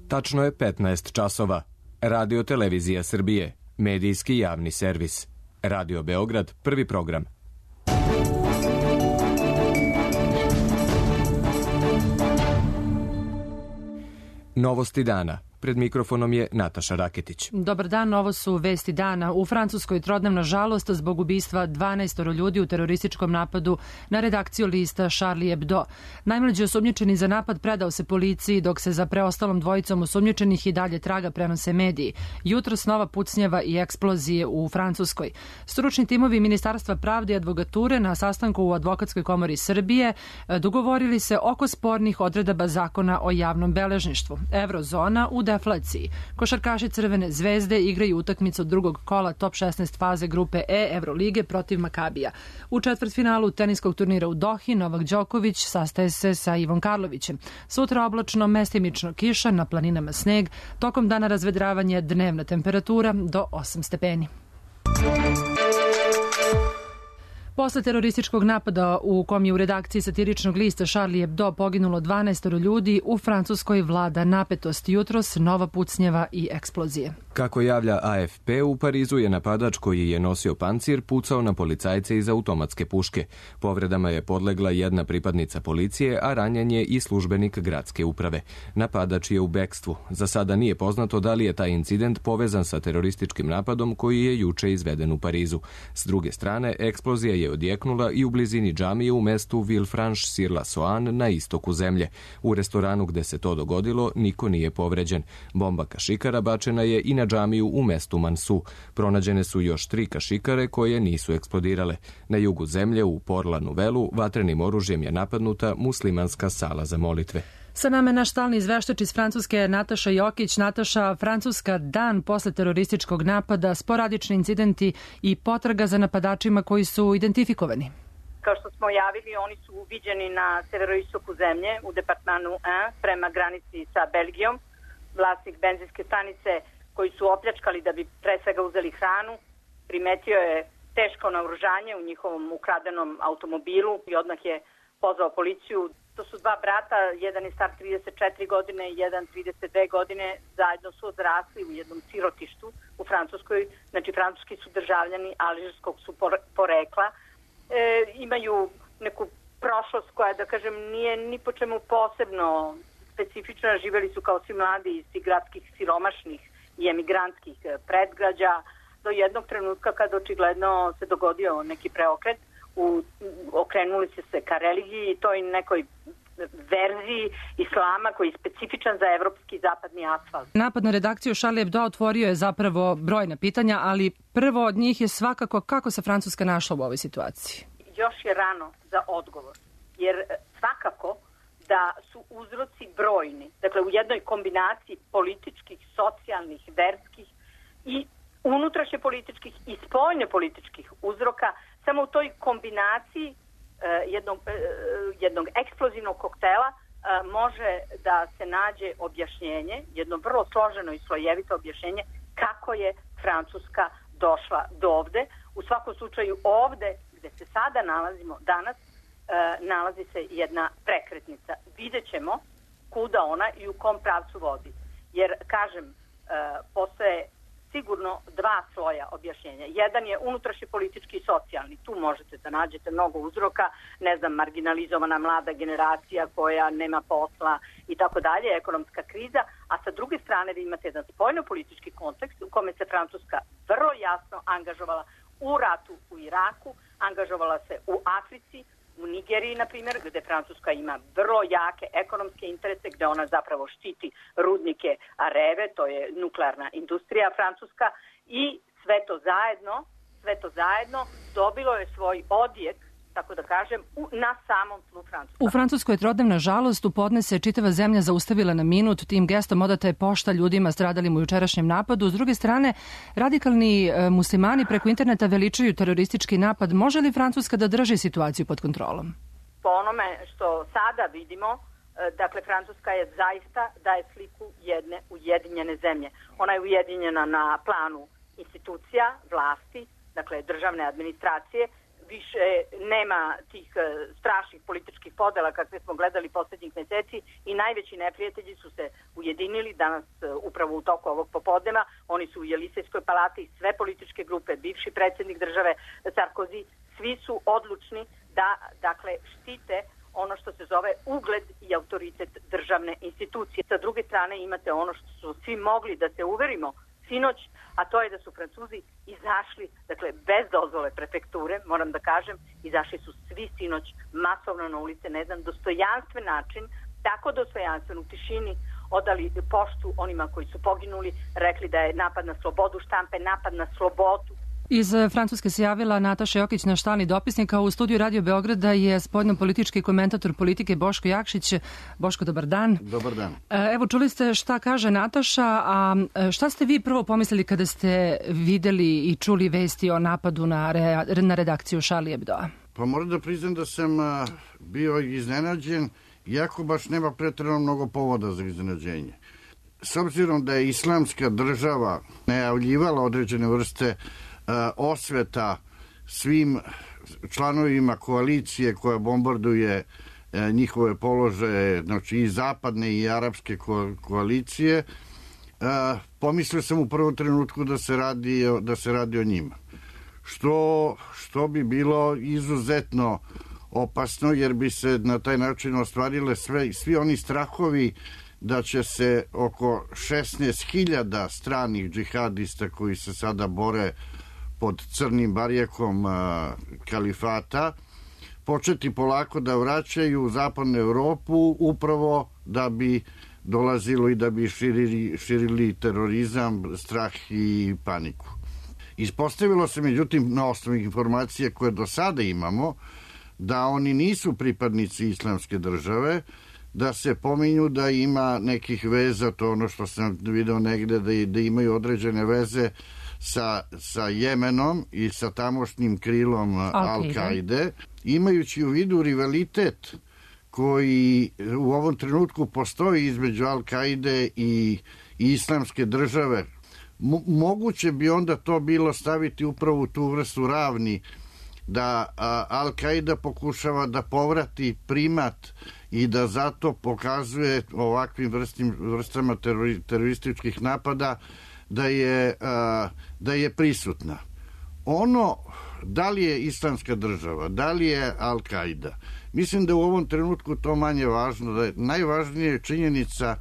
Tačno je 15 časova. Radio Televizija Srbije, medijski javni servis. Radio Beograd, prvi program. Novosti dana. Pred mikrofonom je Nataša Raketić. Dobar dan, ovo su vesti dana. U Francuskoj trodnevna žalost zbog ubistva 12 ljudi u terorističkom napadu na redakciju lista Charlie Hebdo. Najmlađi osumnjičeni za napad predao se policiji, dok se za preostalom dvojicom osumnjičenih i dalje traga prenose mediji. Jutros nova pucnjava i eksplozije u Francuskoj. Stručni timovi Ministarstva pravde i advokature na sastanku u Advokatskoj komori Srbije dogovorili se oko spornih odredaba zakona o javnom beležništvu. Eurozona u deflaciji. Košarkaši Crvene zvezde igraju utakmicu drugog kola top 16 faze grupe E Evrolige protiv Makabija. U četvrtfinalu teniskog turnira u Dohi Novak Đoković sastaje se sa Ivom Karlovićem. Sutra oblačno, mestimično kiša, na planinama sneg, tokom dana razvedravanje, dnevna temperatura do 8 stepeni. Posle terorističkog napada u kom je u redakciji satiričnog lista Charlie Hebdo poginulo 12 ljudi, u Francuskoj vlada napetost. Jutros nova pucnjava i eksplozije. Kako javlja AFP, u Parizu je napadač koji je nosio pancir pucao na policajce iz automatske puške. Povredama je podlegla jedna pripadnica policije, a ranjen je i službenik gradske uprave. Napadač je u bekstvu. Za sada nije poznato da li je taj incident povezan sa terorističkim napadom koji je juče izveden u Parizu. S druge strane, eksplozija je odjeknula i u blizini džamije u mestu Villefranche-sur-la-Saône na istoku zemlje. U restoranu gde se to dogodilo niko nije povređen. Bomba kašikara bačena je i na džamiju u mestu Mansu. Pronađene su još 3 kašikare koje nisu eksplodirale. Na jugu zemlje u Port-la-Nouvelle vatrenim oružjem je napadnuta muslimanska sala za molitve. Sa nama je naš stalni izveštač iz Francuske Nataša Jokić. Nataša, Francuska dan posle terorističkog napada, sporadični incidenti i potraga za napadačima koji su identifikovani. Kao što smo javili, oni su viđeni na severoistoku zemlje u departmanu 1 prema granici sa Belgijom. Vlasnik benzinske stanice koji su opljačkali da bi pre svega uzeli hranu, primetio je teško naoružanje u njihovom ukradenom automobilu i odmah je pozvao policiju. To su dva brata, jedan je star 34 godine i jedan 32 godine, zajedno su odrasli u jednom sirotištu u Francuskoj, znači francuski su državljani alžirskog su porekla, imaju neku prošlost koja, da kažem, nije ni po čemu posebno specifična, živjeli su kao svi mladi iz tih gradskih siromašnih i emigrantskih predgrađa, do jednog trenutka kada očigledno se dogodio neki preokret, okrenuli se ka religiji i toj nekoj verziji islama koji je specifičan za evropski zapadni asfalt. Napad na redakciju Charlie Hebdo otvorio je zapravo brojna pitanja, ali prvo od njih je svakako kako se Francuska našla u ovoj situaciji. Još je rano za odgovor, jer svakako da su uzroci brojni, dakle u jednoj kombinaciji političkih, socijalnih, verskih i unutrašnje političkih i spoljne političkih uzroka. Samo u toj kombinaciji jednog eksplozivnog koktela može da se nađe objašnjenje, jedno vrlo složeno i slojevito objašnjenje kako je Francuska došla do ovde. U svakom slučaju ovde gde se sada nalazimo danas nalazi se jedna prekretnica. Vidjet ćemo kuda ona i u kom pravcu vodi. Jer, kažem, postoje sigurno dva sloja objašnjenja. Jedan je unutrašnji politički i socijalni. Tu možete da nađete mnogo uzroka, ne znam, marginalizovana mlada generacija koja nema posla i tako dalje, ekonomska kriza, a sa druge strane vi imate jedan spoljno-politički kontekst u kome se Francuska vrlo jasno angažovala u ratu u Iraku, angažovala se u Africi, u Nigeriji, na primjer, gde Francuska ima vrlo jake ekonomske interese, gde ona zapravo štiti rudnike Areve, to je nuklearna industrija francuska, i sve to zajedno dobilo je svoj odjek, tako da kažem, na samom tlu Francuska. U Francuskoj je trodnevna žalost, u podne se čitava zemlja zaustavila na minut, tim gestom odata je pošta ljudima stradalim u jučerašnjem napadu. S druge strane, radikalni muslimani preko interneta veličaju teroristički napad. Može li Francuska da drži situaciju pod kontrolom? Po onome što sada vidimo, dakle, Francuska je zaista daje sliku jedne ujedinjene zemlje. Ona je ujedinjena na planu institucija, vlasti, dakle, državne administracije, više nema tih strašnih političkih podela kakve smo gledali poslednjih meseci i najveći neprijatelji su se ujedinili danas upravo u toku ovog popodneva. Oni su u Jelisejskoj palati, sve političke grupe, bivši predsjednik države Sarkozy, svi su odlučni da dakle štite ono što se zove ugled i autoritet državne institucije. Sa druge strane imate ono što su svi mogli da se uverimo sinoć, a to je da su Francuzi izašli, dakle bez dozvole prefekture, moram da kažem, izašli su svi sinoć masovno na ulice na jedan dostojanstven način, tako dostojanstven, u tišini odali poštu onima koji su poginuli, rekli da je napad na slobodu štampe, napad na slobodu. Iz Francuske se javila Nataša Jokić, naš stalni dopisnik, a u studiju Radio Beograda je spoljnopolitički komentator politike Boško Jakšić. Boško, dobar dan. Dobar dan. Evo, čuli ste šta kaže Nataša, a šta ste vi prvo pomislili kada ste videli i čuli vesti o napadu na redakciju Charlie Hebdoa? Pa moram da priznam da sam bio iznenađen, iako baš nema pretjerano mnogo povoda za iznenađenje. S obzirom da je Islamska država najavljivala određene vrste osveta svim članovima koalicije koja bombarduje njihove položaje, znači i zapadne i arapske koalicije, pomislio sam u prvom trenutku da se radi o njima. Što bi bilo izuzetno opasno, jer bi se na taj način ostvarile svi oni strahovi da će se oko 16.000 stranih džihadista koji se sada bore pod crnim barjekom kalifata početi polako da vraćaju u zapadnu Evropu upravo da bi dolazilo i da bi širili terorizam, strah i paniku. Ispostavilo se, međutim, na osnovu informacije koje do sada imamo, da oni nisu pripadnici Islamske države, da se pominju da ima nekih veza, to ono što sam video negde, da imaju određene veze sa Jemenom i sa tamošnjim krilom Al-Kaide, imajući u vidu rivalitet koji u ovom trenutku postoji između Al-Kaide i Islamske države. Moguće bi onda to bilo staviti upravo u tu vrstu ravni, da Al-Kaida pokušava da povrati primat i da zato pokazuje ovakvim vrstama terorističkih napada da je prisutna. Ono, da li je Islamska država, da li je Al-Kaida, mislim da u ovom trenutku to manje važno, da je najvažnije činjenica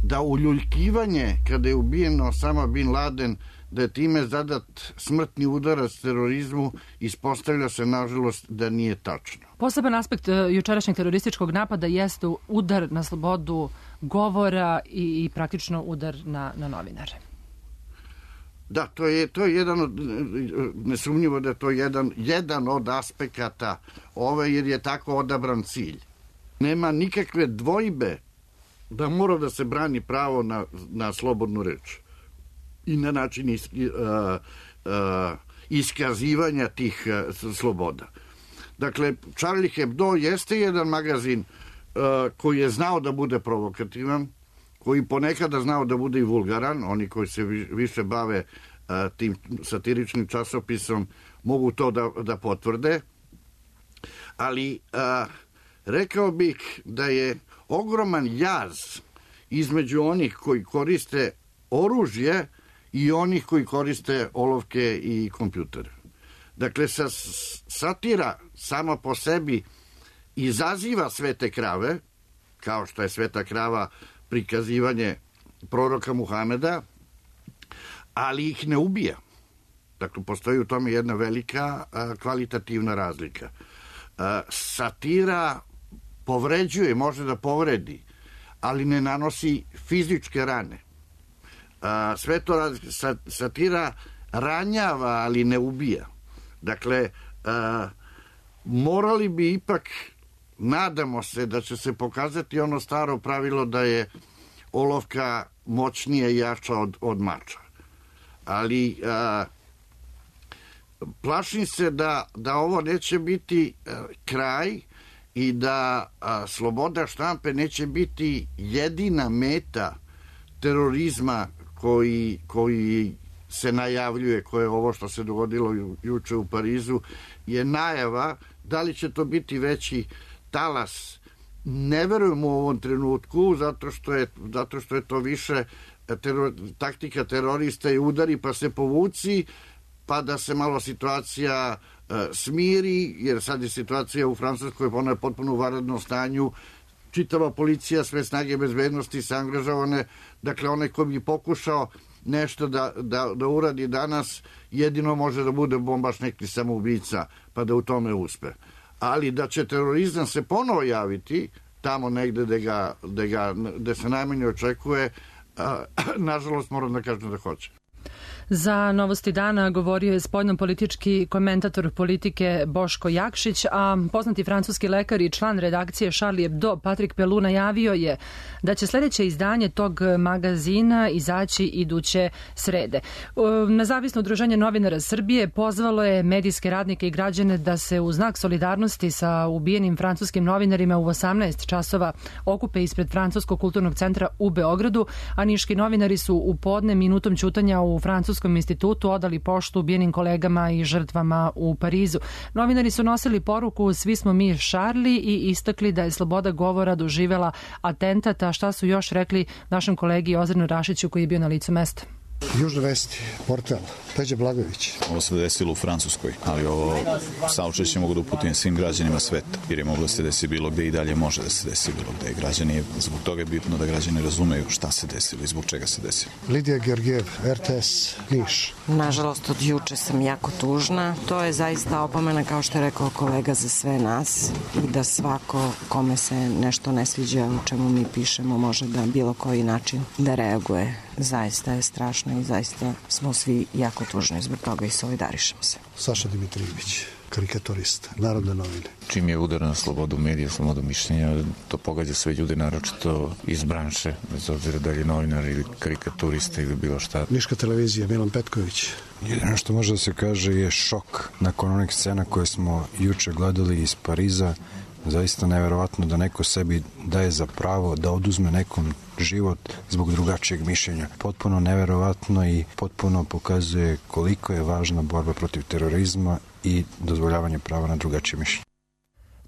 da uljuljkivanje kada je ubijen Osama Bin Laden, da je time zadat smrtni udarac terorizmu, ispostavlja se nažalost da nije tačno. Poseban aspekt jučerašnjeg terorističkog napada jeste udar na slobodu govora i praktično udar na novinare. Da, to je jedan od, nesumnjivo da je to jedan od aspekata jer je tako odabran cilj. Nema nikakve dvojbe da mora da se brani pravo na slobodnu reč i na način iskazivanja tih sloboda. Dakle, Charlie Hebdo jeste jedan magazin koji je znao da bude provokativan, koji ponekada znao da bude i vulgaran. Oni koji se više bave tim satiričnim časopisom mogu to da potvrde, ali rekao bih da je ogroman jaz između onih koji koriste oružje i onih koji koriste olovke i kompjutere. Dakle, satira sama po sebi izaziva svete krave, kao što je sveta krava prikazivanje proroka Muhameda, ali ih ne ubija. Dakle, postoji u tome jedna velika kvalitativna razlika. Satira povređuje, može da povredi, ali ne nanosi fizičke rane. Sve to satira ranjava, ali ne ubija. Dakle, morali bi ipak, nadamo se da će se pokazati ono staro pravilo da je olovka moćnija i jača od mača. Ali plašim se da ovo neće biti kraj i da sloboda štampe neće biti jedina meta terorizma koji se najavljuje, koje je ovo što se dogodilo juče u Parizu, je najava. Da li će to biti veći talas? Ne verujem u ovom trenutku, zato što je to više taktika terorista i udari pa se povuci, pa da se malo situacija smiri, jer sad je situacija u Francuskoj, ona je potpuno u vanrednom stanju, čitava policija, sve snage bezbednosti se angažovane, dakle onaj ko bi pokušao nešto da uradi danas, jedino može da bude bombaš neki samoubica, pa da u tome uspe. Ali da će terorizam se ponovo javiti, tamo negde gde se najmanje očekuje, nažalost moram da kažem da hoće. Za Novosti dana govorio je spoljnopolitički komentator politike Boško Jakšić, a poznati francuski lekar i član redakcije Charlie Hebdo Patrik Pelou najavio je da će sledeće izdanje tog magazina izaći iduće srede. Nezavisno udruženje novinara Srbije pozvalo je medijske radnike i građane da se u znak solidarnosti sa ubijenim francuskim novinarima u 18 časova okupe ispred Francuskog kulturnog centra u Beogradu, a niški novinari su u podne minutom ćutanja u Francuskom institutu odali poštu ubijenim kolegama i žrtvama u Parizu. Novinari su nosili poruku "Svi smo mi Charlie" i istakli da je sloboda govora doživela atentat, a šta su još rekli našem kolegi Ozrenu Rašiću koji je bio na licu mesta. Južne vesti, portal, Peđa Blagojević. Ovo se desilo u Francuskoj, ali ovo saučešće mogu da uputim svim građanima sveta, jer je moglo da se desi bilo gde i dalje može da se desi bilo gde. Građani, zbog toga je bitno da građani razumeju šta se desilo i zbog čega se desilo. Lidija Georgijev, RTS, Niš. Nažalost, od juče sam jako tužna. To je zaista opomena, kao što je rekao kolega, za sve nas i da svako kome se nešto ne sviđa o čemu mi pišemo može da bilo koji način da reaguje. Zaista je strašno i zaista smo svi jako tužni zbog toga i solidarišemo se. Saša Dimitrijević, karikaturista, Narodne novine. Čim je udar na slobodu medija, slobodu mišljenja, to pogađa sve ljude, naročito iz branše, bez obzira da li je novinar ili karikaturista ili bilo šta. Niška televizija, Milan Petković. Jedino što može da se kaže je šok nakon onih scena koje smo juče gledali iz Pariza. Zaista neverovatno da neko sebi daje za pravo da oduzme nekom život zbog drugačijeg mišljenja. Potpuno neverovatno i potpuno pokazuje koliko je važna borba protiv terorizma i dozvoljavanje prava na drugačije mišljenje.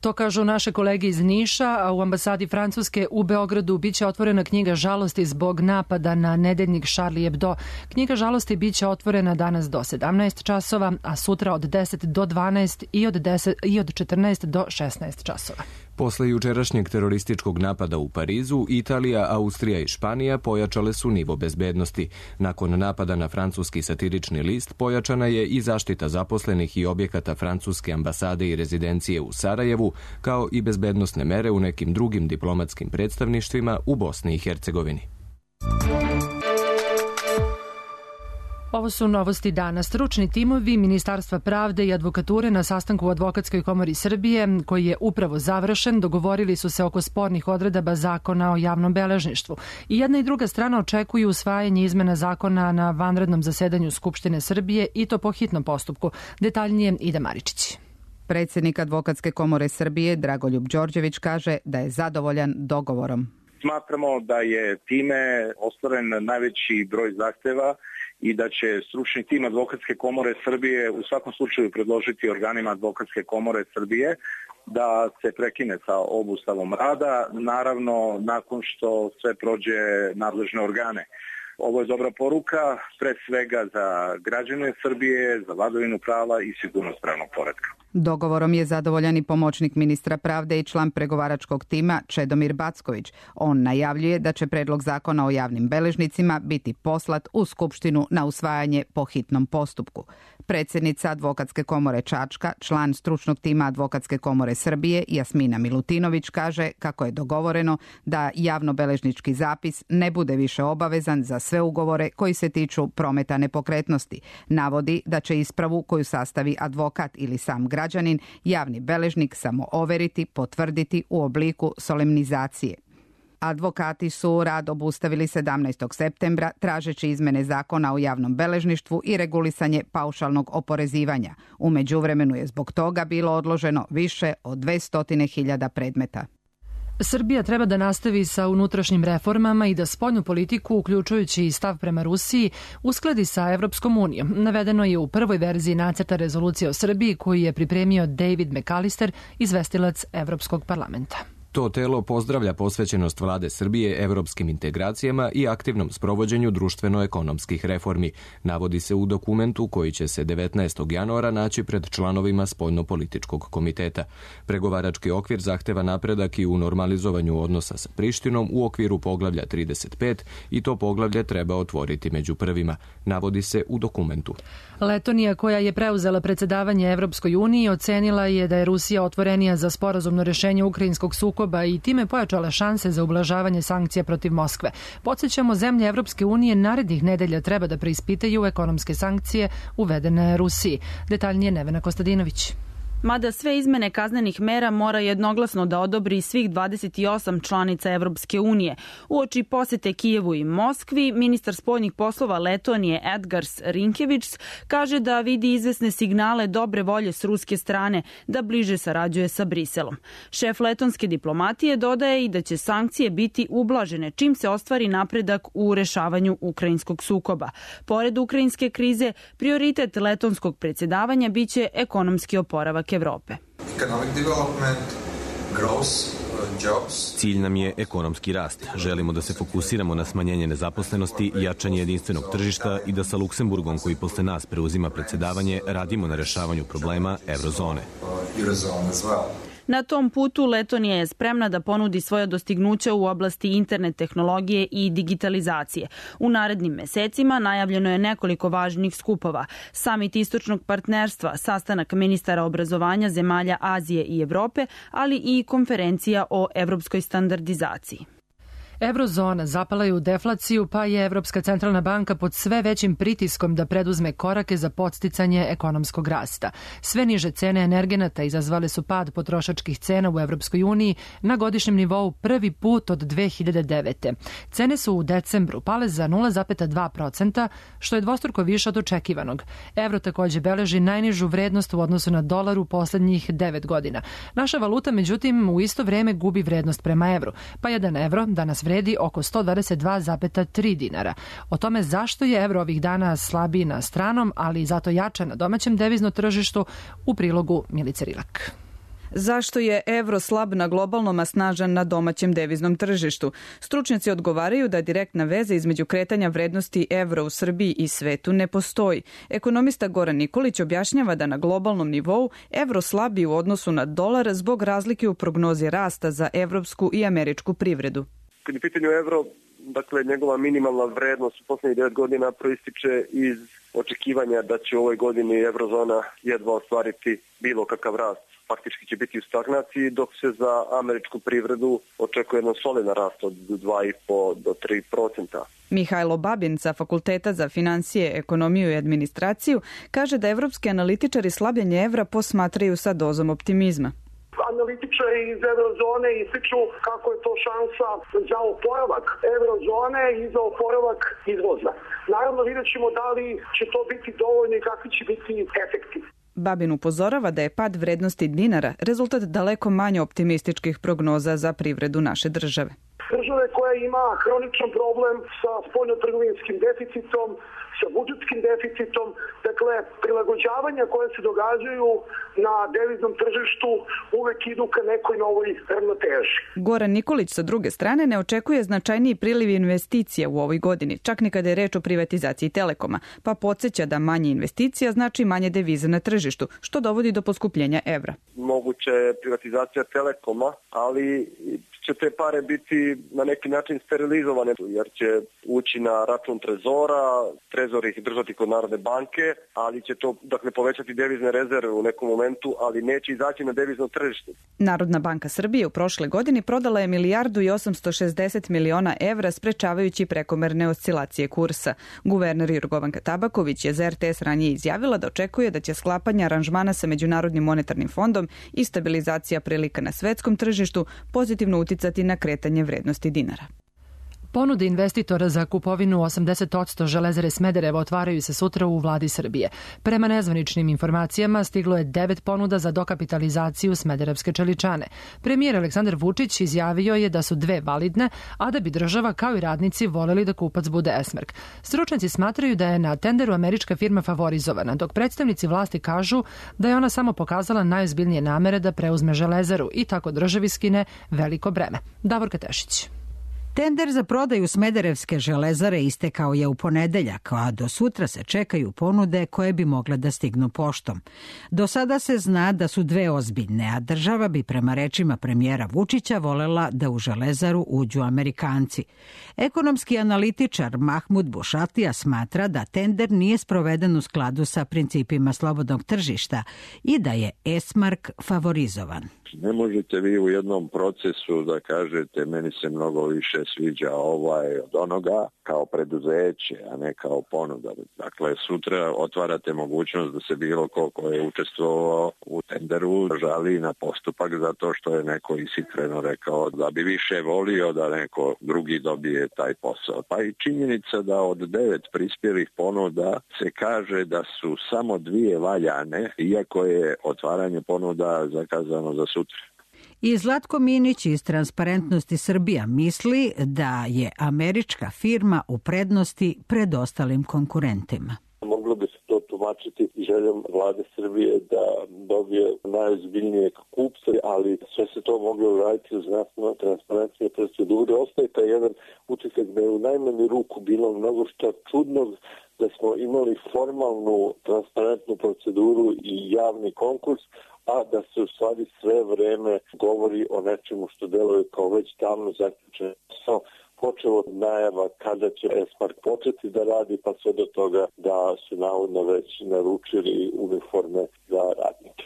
To kažu naše kolege iz Niša, a u ambasadi Francuske u Beogradu biće otvorena knjiga žalosti zbog napada na nedeljnik Charlie Hebdo. Knjiga žalosti biće otvorena danas do 17 časova, a sutra od 10 do 12 i od 14 do 16 časova. Posle jučerašnjeg terorističkog napada u Parizu, Italija, Austrija i Španija pojačale su nivo bezbednosti. Nakon napada na francuski satirični list pojačana je i zaštita zaposlenih i objekata francuske ambasade i rezidencije u Sarajevu, kao i bezbednosne mere u nekim drugim diplomatskim predstavništvima u Bosni i Hercegovini. Ovo su Novosti dana. Stručni timovi Ministarstva pravde i advokature na sastanku u Advokatskoj komori Srbije, koji je upravo završen, dogovorili su se oko spornih odredaba zakona o javnom beležništvu. I jedna i druga strana očekuju usvajanje izmena zakona na vanrednom zasedanju Skupštine Srbije i to po hitnom postupku. Detaljnije Ida Maričić. Predsjednik Advokatske komore Srbije Dragoljub Đorđević kaže da je zadovoljan dogovorom. Smatramo da je time ostvaren najveći broj zahteva i da će stručni tim Advokatske komore Srbije u svakom slučaju predložiti organima Advokatske komore Srbije da se prekine sa obustavom rada, naravno nakon što sve prođe nadležne organe. Ovo je dobra poruka, pre svega za građane Srbije, za vladavinu prava i sigurnost pravnog poretka. Dogovorom je zadovoljan i pomoćnik ministra pravde i član pregovaračkog tima Čedomir Backović. On najavljuje da će predlog zakona o javnim beležnicima biti poslat u Skupštinu na usvajanje po hitnom postupku. Predsjednica Advokatske komore Čačka, član stručnog tima Advokatske komore Srbije Jasmina Milutinović kaže kako je dogovoreno da javnobeležnički zapis ne bude više obavezan za sve ugovore koji se tiču prometa nepokretnosti. Navodi da će ispravu koju sastavi advokat ili sam građanin javni beležnik samo overiti, potvrditi u obliku solemnizacije. Advokati su rad obustavili 17. septembra tražeći izmene zakona o javnom beležništvu i regulisanje paušalnog oporezivanja. U međuvremenu je zbog toga bilo odloženo više od 200.000 predmeta. Srbija treba da nastavi sa unutrašnjim reformama i da spoljnu politiku, uključujući i stav prema Rusiji, uskladi sa Evropskom unijom. Navedeno je u prvoj verziji nacrta rezolucije o Srbiji koju je pripremio David McAllister, izvestilac Evropskog parlamenta. To telo pozdravlja posvećenost vlade Srbije evropskim integracijama i aktivnom sprovođenju društveno-ekonomskih reformi, navodi se u dokumentu koji će se 19. januara naći pred članovima Spoljnopolitičkog komiteta. Pregovarački okvir zahteva napredak i u normalizovanju odnosa sa Prištinom u okviru poglavlja 35 i to poglavlje treba otvoriti među prvima, navodi se u dokumentu. Letonija, koja je preuzela predsedavanje Evropskoj uniji, ocenila je da je Rusija otvorenija za sporazumno rešenje ukrajinskog sukoba i time pojačala šanse za ublažavanje sankcija protiv Moskve. Podsjećamo, zemlje Evropske unije narednih nedelja treba da preispitaju ekonomske sankcije uvedene Rusiji. Detaljnije Nevena Kostadinović. Mada sve izmene kaznenih mera mora jednoglasno da odobri svih 28 članica Evropske unije. Uoči posete Kijevu i Moskvi, ministar spoljnih poslova Letonije Edgars Rinkevičs kaže da vidi izvesne signale dobre volje s ruske strane da bliže sarađuje sa Briselom. Šef letonske diplomatije dodaje i da će sankcije biti ublažene čim se ostvari napredak u rešavanju ukrajinskog sukoba. Pored ukrajinske krize, prioritet letonskog predsjedavanja biće ekonomski oporavak Evrope. Cilj nam je ekonomski rast. Želimo da se fokusiramo na smanjenje nezaposlenosti, jačanje jedinstvenog tržišta i da sa Luksemburgom, koji posle nas preuzima predsjedavanje, radimo na rešavanju problema eurozone. Na tom putu Letonija je spremna da ponudi svoja dostignuća u oblasti internet tehnologije i digitalizacije. U narednim mesecima najavljeno je nekoliko važnih skupova. Samit istočnog partnerstva, sastanak ministara obrazovanja zemalja Azije i Evrope, ali i konferencija o evropskoj standardizaciji. Eurozona zapala je u deflaciju, pa je Evropska centralna banka pod sve većim pritiskom da preduzme korake za podsticanje ekonomskog rasta. Sve niže cene energenata izazvale su pad potrošačkih cena u Evropskoj uniji na godišnjem nivou prvi put od 2009. Cene su u decembru pale za 0,2%, što je dvostruko više od očekivanog. Evro takođe beleži najnižu vrednost u odnosu na dolar u poslednjih 9 godina. Naša valuta, međutim, u isto vreme gubi vrednost prema evru, pa 1 evro danas vredi oko 122,3 dinara. O tome zašto je evro ovih dana slabiji na stranom, ali zato jača na domaćem deviznom tržištu, u prilogu Milice Rilak. Zašto je evro slab na globalnom, a snažan na domaćem deviznom tržištu? Stručnjaci odgovaraju da direktna veza između kretanja vrednosti evra u Srbiji i svetu ne postoji. Ekonomista Goran Nikolić objašnjava da na globalnom nivou evro slabi u odnosu na dolar zbog razlike u prognozi rasta za evropsku i američku privredu. Kad je pitanju evro, dakle njegova minimalna vrednost u poslednjih 9 godina proističe iz očekivanja da će u ovoj godini eurozona jedva ostvariti bilo kakav rast. Faktički će biti u stagnaciji, dok se za američku privredu očekuje jedan solidan rast od 2,5 do 3%. Mihajlo Babin sa Fakulteta za financije, ekonomiju i administraciju kaže da evropski analitičari slabljenje evra posmatraju sa dozom optimizma. Analitičari iz eurozone ističu kako je to šansa za oporavak eurozone i za oporavak izvoza. Naravno, vidjet ćemo da li će to biti dovoljno i kakvi će biti efekti. Babin upozorava da je pad vrednosti dinara rezultat daleko manje optimističkih prognoza za privredu naše države. Države koja ima hroničan problem sa spoljnotrgovinskim deficitom, sa budžetskim deficitom, dakle prilagođavanja koje se događaju na deviznom tržištu uvek idu ka nekoj novoj ravnoteži. Goran Nikolić sa druge strane ne očekuje značajniji priliv investicija u ovoj godini, čak ni kada je reč o privatizaciji Telekoma, pa podsjeća da manje investicija znači manje deviza na tržištu, što dovodi do poskupljenja evra. Moguće je privatizacija Telekoma, ali će te pare biti na neki način sterilizovane, jer će ući na račun trezora, trezor ih držati kod Narodne banke, ali će to povećati devizne rezerve u nekom momentu, ali neće izaći na devizno tržište. Narodna banka Srbije u prošle godini prodala je 1.860 miliona evra sprečavajući prekomerne oscilacije kursa. Guverner Jorgovanka Tabaković je za RTS ranije izjavila da očekuje da će sklapanje aranžmana sa Međunarodnim monetarnim fondom i stabilizacija prilika na svetskom tržištu pozitivno uticati na kretanje vrednosti dinara. Ponude investitora za kupovinu 80% Železare Smederevo otvaraju se sutra u vladi Srbije. Prema nezvaničnim informacijama stiglo je 9 ponuda za dokapitalizaciju Smederevske čeličane. Premijer Aleksandar Vučić izjavio je da su 2 validne, a da bi država kao i radnici voljeli da kupac bude Esmark. Stručnjaci smatraju da je na tenderu američka firma favorizovana, dok predstavnici vlasti kažu da je ona samo pokazala najozbiljnije namere da preuzme Železaru i tako državi skine veliko breme. Davorka Tešić. Tender za prodaju Smederevske železare istekao je u ponedeljak, a do sutra se čekaju ponude koje bi mogle da stignu poštom. Do sada se zna da su 2 ozbiljne, a država bi prema rečima premijera Vučića volela da u železaru uđu Amerikanci. Ekonomski analitičar Mahmud Bušatija smatra da tender nije sproveden u skladu sa principima slobodnog tržišta i da je Esmark favorizovan. Ne možete vi u jednom procesu da kažete meni se mnogo više sviđa od onoga kao preduzeće, a ne kao ponuda. Dakle, sutra otvarate mogućnost da se bilo ko je učestvovao u tenderu žali na postupak zato što je neko ishitreno rekao da bi više volio da neko drugi dobije taj posao. Pa i činjenica da od 9 prispjelih ponuda se kaže da su samo 2 valjane, iako je otvaranje ponuda zakazano za sutra. I Zlatko Minić iz Transparentnosti Srbija misli da je američka firma u prednosti pred ostalim konkurentima. Moglo bi se to tumačiti željom vlade Srbije da dobije najozbiljnije kupce, ali sve se to moglo uraditi uz nastavno transparentne procedure. Ostaje taj jedan utisak da je u najmanju ruku bilo mnogo što čudnog, da smo imali formalnu transparentnu proceduru i javni konkurs, a da se u stvari sve vreme govori o nečemu što deluje kao već davno zaključeno. Počelo od najava kada će Esmark početi da radi, pa sve do toga da su navodno već naručili uniforme za radnike.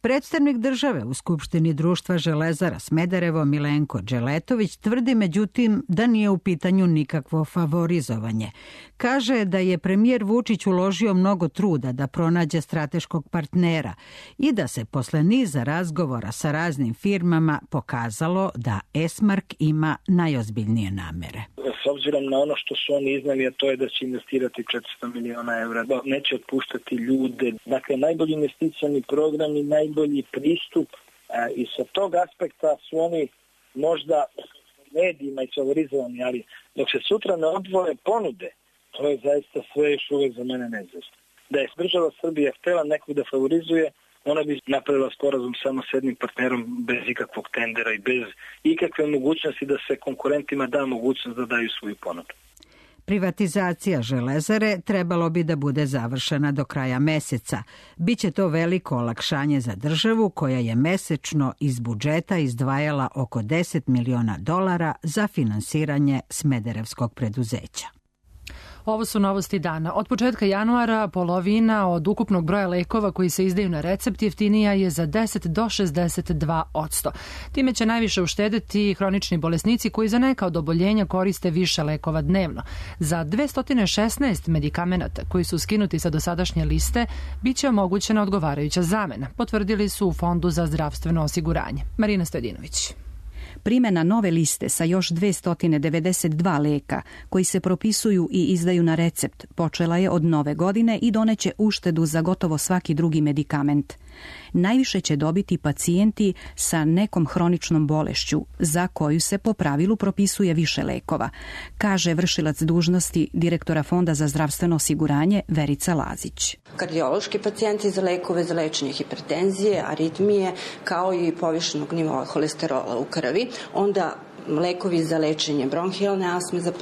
Predstavnik države u Skupštini društva Železara Smederevo Milenko Đeletović tvrdi međutim da nije u pitanju nikakvo favorizovanje. Kaže da je premijer Vučić uložio mnogo truda da pronađe strateškog partnera i da se posle niza razgovora sa raznim firmama pokazalo da Esmark ima najozbiljnije namere. S obzirom na ono što su oni iznali, a to je da će investirati 400 miliona evra, neće otpuštati ljude. Dakle, najbolji investicioni program i najbolji pristup i sa tog aspekta su oni možda medijima i favorizovani, ali dok se sutra ne odvoje ponude, to je zaista sve još uvijek za mene neizvjesno. Da je država Srbija htjela nekog da favorizuje, ona bi napravila sporazum samo s jednim partnerom bez ikakvog tendera i bez ikakve mogućnosti da se konkurentima da mogućnost da daju svoju ponudu. Privatizacija Železare trebalo bi da bude završena do kraja meseca. Biće to veliko olakšanje za državu koja je mesečno iz budžeta izdvajala oko $10 miliona za finansiranje smederevskog preduzeća. Ovo su novosti dana. Od početka januara polovina od ukupnog broja lekova koji se izdaju na recept jeftinija je za 10 do 62%. Time će najviše uštedeti hronični bolesnici koji za neka od oboljenja koriste više lekova dnevno. Za 216 medikamenata koji su skinuti sa dosadašnje liste biće omogućena odgovarajuća zamena, potvrdili su u Fondu za zdravstveno osiguranje. Marina Stojadinović. Primjena nove liste sa još 292 leka koji se propisuju i izdaju na recept počela je od nove godine i doneće uštedu za gotovo svaki drugi medikament. Najviše će dobiti pacijenti sa nekom hroničnom bolešću za koju se po pravilu propisuje više lekova, kaže vršilac dužnosti direktora Fonda za zdravstveno osiguranje Verica Lazić. Kardiološki pacijenti za lekove za lečenje hipertenzije, aritmije, kao i povišenog nivoa holesterola u krvi, onda lekovi za lečenje bronhijalne astme, za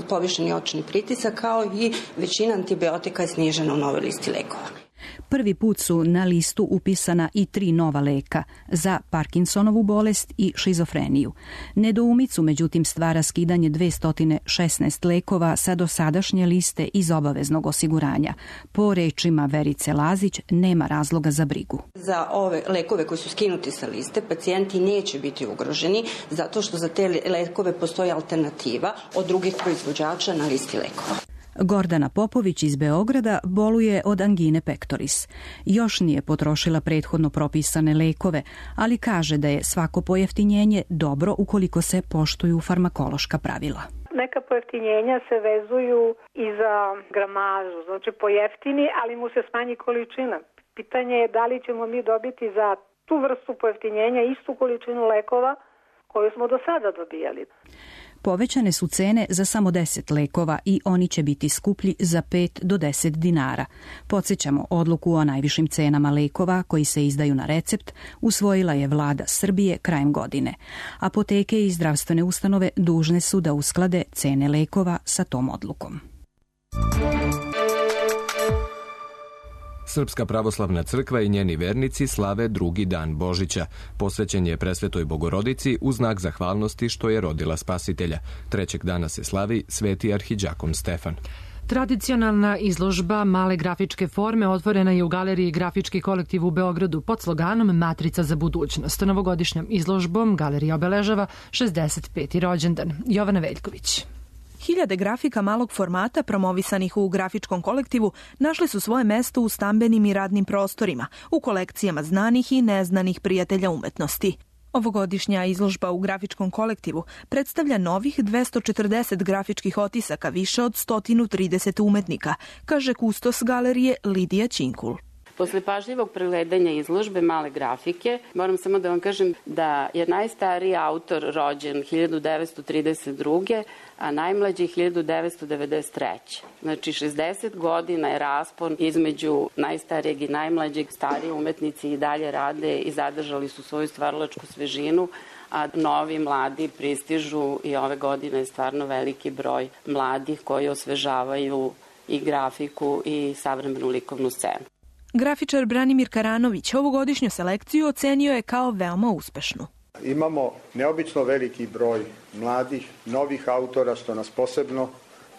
povišeni očni pritisak, kao i većina antibiotika je snižena u novoj listi lekova. Prvi put su na listu upisana i 3 nova leka za Parkinsonovu bolest i šizofreniju. Nedoumicu međutim stvara skidanje 216 lekova sa dosadašnje liste iz obaveznog osiguranja. Po rečima Verice Lazić nema razloga za brigu. Za ove lekove koji su skinuti sa liste pacijenti neće biti ugroženi zato što za te lekove postoji alternativa od drugih proizvođača na listi lekova. Gordana Popović iz Beograda boluje od angine pectoris. Još nije potrošila prethodno propisane lekove, ali kaže da je svako pojeftinjenje dobro ukoliko se poštuju farmakološka pravila. Neka pojeftinjenja se vezuju i za gramažu, znači pojeftini, ali mu se smanji količina. Pitanje je da li ćemo mi dobiti za tu vrstu pojeftinjenja istu količinu lekova koju smo do sada dobijali. Povećane su cene za samo 10 lekova i oni će biti skuplji za 5 do 10 dinara. Podsjećamo, odluku o najvišim cenama lekova koji se izdaju na recept usvojila je vlada Srbije krajem godine. Apoteke i zdravstvene ustanove dužne su da usklade cene lekova sa tom odlukom. Srpska pravoslavna crkva i njeni vernici slave drugi dan Božića. Posvećen je Presvetoj Bogorodici u znak zahvalnosti što je rodila Spasitelja. Trećeg dana se slavi Sveti arhidžakon Stefan. Tradicionalna izložba male grafičke forme otvorena je u galeriji Grafički kolektiv u Beogradu pod sloganom Matrica za budućnost. Novogodišnjom izložbom galerija obeležava 65. rođendan. Jovana Veljković. Hiljade grafika malog formata promovisanih u grafičkom kolektivu našli su svoje mesto u stambenim i radnim prostorima, u kolekcijama znanih i neznanih prijatelja umetnosti. Ovogodišnja izložba u grafičkom kolektivu predstavlja novih 240 grafičkih otisaka više od 130 umetnika, kaže kustos galerije Lidija Činkul. Posle pažljivog pregledanja izložbe male grafike, moram samo da vam kažem da je najstariji autor rođen 1932. a najmlađi 1993. Znači 60 godina je raspon između najstarijeg i najmlađeg. Stariji umetnici i dalje rade i zadržali su svoju stvaralačku svežinu, a novi mladi pristižu i ove godine je stvarno veliki broj mladih koji osvežavaju i grafiku i savremenu likovnu scenu. Grafičar Branimir Karanović ovogodišnju selekciju ocenio je kao veoma uspešnu. Imamo neobično veliki broj mladih, novih autora, što nas posebno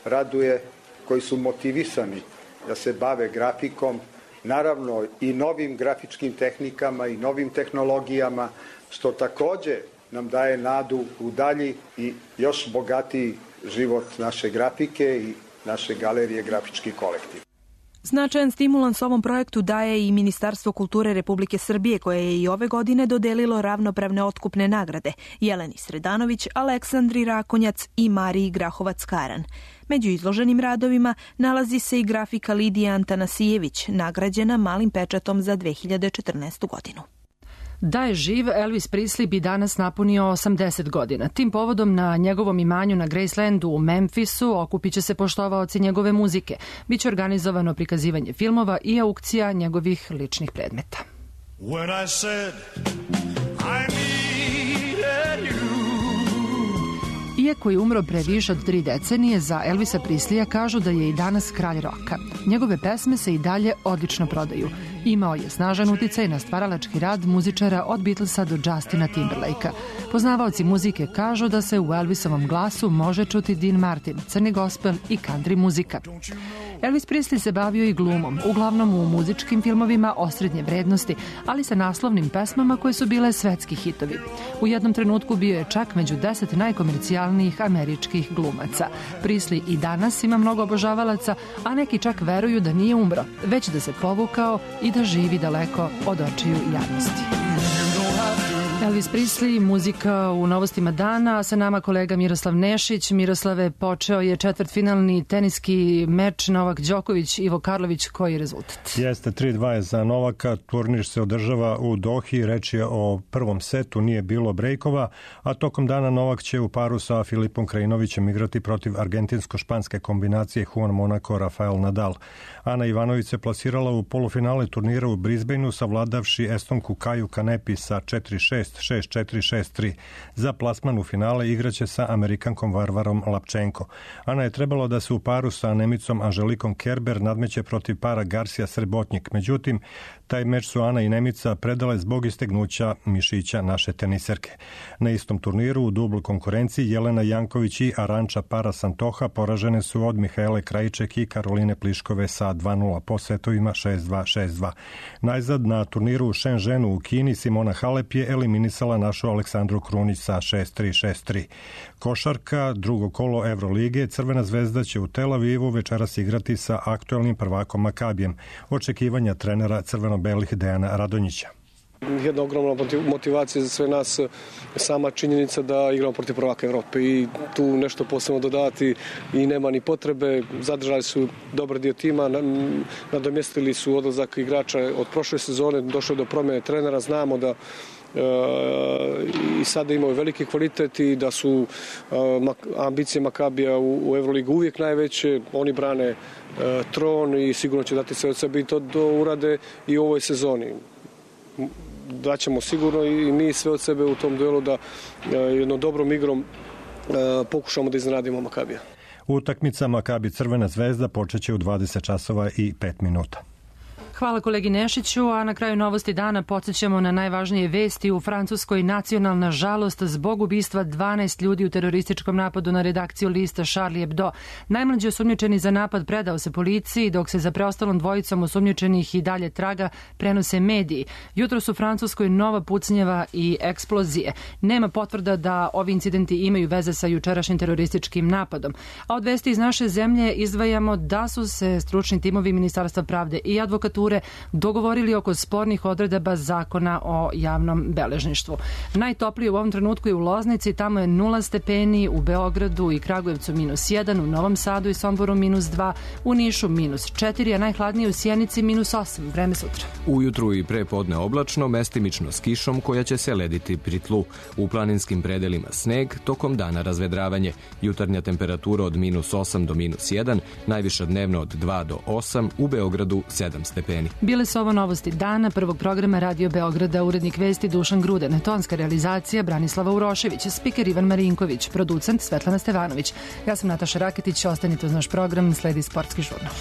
raduje, koji su motivisani da se bave grafikom, naravno i novim grafičkim tehnikama i novim tehnologijama, što takođe nam daje nadu u dalji i još bogatiji život naše grafike i naše galerije Grafički kolektiv. Značajan stimulans ovom projektu daje i Ministarstvo kulture Republike Srbije, koje je i ove godine dodelilo ravnopravne otkupne nagrade Jeleni Sredanović, Aleksandri Rakonjac i Mariji Grahovac-Karan. Među izloženim radovima nalazi se i grafika Lidije Antanasijević, nagrađena malim pečatom za 2014. godinu. Da je živ, Elvis Presley bi danas napunio 80 godina. Tim povodom na njegovom imanju na Gracelandu u Memphisu okupit će se poštovaoci njegove muzike. Biće organizovano prikazivanje filmova i aukcija njegovih ličnih predmeta. When I said I needed you. Iako je umro pre više od 3 decenije, za Elvisa Presleya kažu da je i danas kralj roka. Njegove pesme se i dalje odlično prodaju. Imao je snažan uticaj na stvaralački rad muzičara od Beatlesa do Justina Timberlakea. Poznavaoci muzike kažu da se u Elvisovom glasu može čuti Dean Martin, crni gospel i country muzika. Elvis Presley se bavio i glumom, uglavnom u muzičkim filmovima osrednje vrednosti, ali sa naslovnim pesmama koje su bile svetski hitovi. U jednom trenutku bio je čak među 10 najkomercijalnijih američkih glumaca. Presley i danas ima mnogo obožavalaca, a neki čak veruju da nije umro, već da se povukao i da živi daleko od očiju javnosti. Elvis Presley, muzika u novostima dana, a sa nama kolega Miroslav Nešić. Miroslave, počeo je četvrtfinalni teniski meč Novak Đoković, Ivo Karlović, koji je rezultat? Jeste, 3-2 je za Novaka, turnir se održava u Dohi, reč je o prvom setu, nije bilo brejkova, a tokom dana Novak će u paru sa Filipom Krajinovićem igrati protiv argentinsko-španske kombinacije Juan Monaco, Rafael Nadal. Ana Ivanović se plasirala u polufinale turnira u Brisbaneu, savladavši Estonku Kaju Kanepi sa 4-6, 6-4, 6-3. Za plasman u finale igraće sa Amerikankom Varvarom Lapčenko. Ana je trebalo da se u paru sa Nemicom Anželikom Kerber nadmeće protiv para Garcia Srebotnjik. Međutim, taj meč su Ana i Nemica predale zbog istegnuća mišića naše teniserke. Na istom turniru u dubloj konkurenciji Jelena Janković i Aranča Para Santoha poražene su od Mihaele Krajiček i Karoline Pliškove sa 2-0 po setovima 6-2, 6-2. Najzad na turniru u Shenzhenu u Kini Simona Halep je eliminisala eliminisala našu Aleksandru Krunić sa 6-3. Košarka, drugo kolo Evrolige, Crvena zvezda će u Tel Avivu večeras igrati sa aktuelnim prvakom Makabijem. Očekivanja trenera crveno-belih Dejana Radonjića. Jedna ogromna motivacija za sve nas, sama činjenica da igramo protiv prvaka Evrope i tu nešto posebno dodati i nema ni potrebe. Zadržali su dobar dio tima, nadomjestili su odlazak igrača od prošle sezone, došlo je do promjene trenera, znamo da i sada imaju veliki kvalitet i da su ambicije Makabija u Evroligu uvijek najveće. Oni brane tron i sigurno će dati sve od sebe i to urade i u ovoj sezoni. Daćemo sigurno i mi sve od sebe u tom duelu da jednom dobrom igrom pokušamo da iznenadimo Makabija. Utakmica Makabi Crvena zvezda počeće u 20 časova i 5 minuta. Hvala kolegi Nešiću, a na kraju novosti dana podsjećamo na najvažnije vesti. U Francuskoj nacionalna žalost zbog ubistva 12 ljudi u terorističkom napadu na redakciju lista Charlie Hebdo. Najmlađi osumnjičeni za napad predao se policiji, dok se za preostalom dvojicom osumnjičenih i dalje traga prenose mediji. Jutros u Francuskoj nova pucnjeva i eksplozije. Nema potvrda da ovi incidenti imaju veze sa jučerašnjim terorističkim napadom. A od vesti iz naše zemlje izdvajamo da su se stručni timovi Ministarstva pravde i advokature dogovorili oko spornih odredaba zakona o javnom beležništvu. Najtoplije u ovom trenutku je u Loznici, tamo je 0 stepeni, u Beogradu i Kragujevcu -1, u Novom Sadu i Somboru -2, u Nišu -4, a najhladnije u Sjenici -8. Vreme sutra. Ujutru i pre podne oblačno, mestimično s kišom koja će se lediti pri tlu. U planinskim predelima sneg, tokom dana razvedravanje. Jutarnja temperatura od -8 do -1, najviša dnevno od 2 do 8, u Beogradu 7 stepeni. Bile su ovo novosti dana, prvog programa Radio Beograda, urednik vesti Dušan Gruden, tonska realizacija Branislava Urošević, spiker Ivan Marinković, producent Svetlana Stevanović. Ja sam Nataša Raketić, ostanite uz naš program, sledi Sportski žurnal.